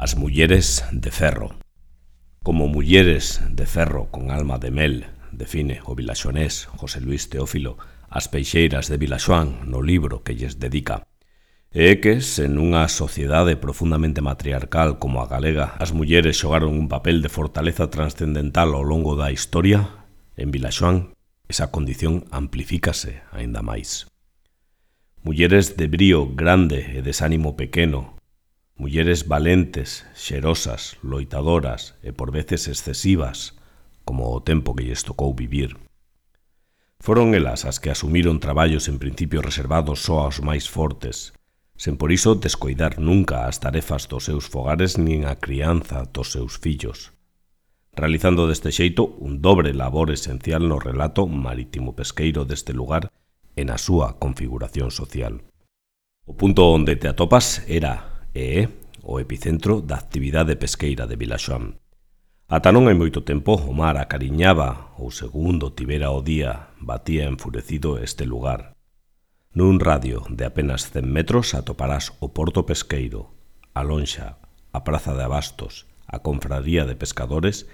As mulleres de ferro. Como mulleres de ferro con alma de mel, define o vilaxonés José Luis Teófilo as peixeiras de Vilaxoán no libro que lles dedica. E é que, sen unha sociedade profundamente matriarcal como a galega, as mulleres xogaron un papel de fortaleza transcendental ao longo da historia, en Vilaxoán esa condición amplifícase aínda máis. Mulleres de brío grande e desánimo pequeno, mulleres valentes, xerosas, loitadoras e por veces excesivas, como o tempo que lles tocou vivir. Foron elas as que asumiron traballos en principio reservados só aos máis fortes, sen por iso descoidar nunca as tarefas dos seus fogares nin a crianza dos seus fillos, realizando deste xeito un dobre labor esencial no relato marítimo-pesqueiro deste lugar e na súa configuración social. O punto onde te atopas era e é o epicentro da actividade pesqueira de Vilaxoán. Ata non hai moito tempo o mar acariñaba ou segundo tivera o día batía enfurecido este lugar. Nun radio de apenas 100 metros atoparás o porto pesqueiro, a lonxa, a praza de abastos, a confraría de pescadores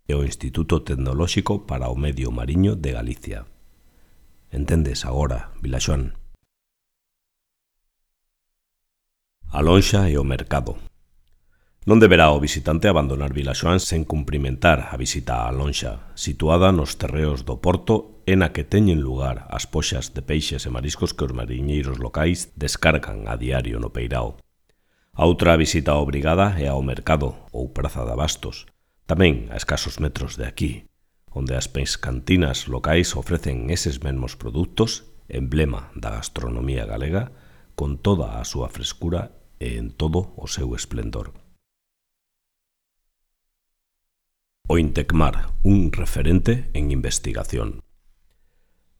e o Instituto Tecnolóxico para o Medio Mariño de Galicia. Entendes agora, Vilaxoán? A lonxa e o mercado. Non deberá o visitante abandonar Vilaxoán sen cumprimentar a visita á lonxa, situada nos terreos do porto e na que teñen lugar as poxas de peixes e mariscos que os mariñeiros locais descargan a diario no peirao. A outra visita obrigada é ao mercado ou praza de abastos, tamén a escasos metros de aquí, onde as pescantinas locais ofrecen eses mesmos produtos, emblema da gastronomía galega, con toda a súa frescura e en todo o seu esplendor. O Intecmar, un referente en investigación.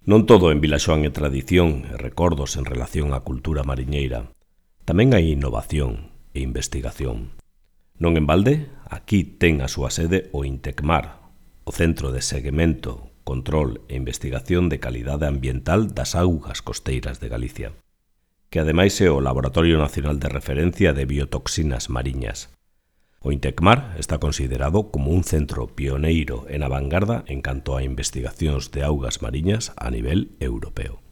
Non todo en Vilaxoán é tradición e recordos en relación á cultura mariñeira. Tamén hai innovación e investigación. Non en balde, aquí ten a súa sede o Intecmar, o Centro de Seguimento, Control e Investigación de Calidade Ambiental das Augas Costeiras de Galicia, que ademais é o Laboratorio Nacional de Referencia de Biotoxinas Mariñas. O Intecmar está considerado como un centro pioneiro en a vanguarda en canto a investigacións de augas mariñas a nivel europeo.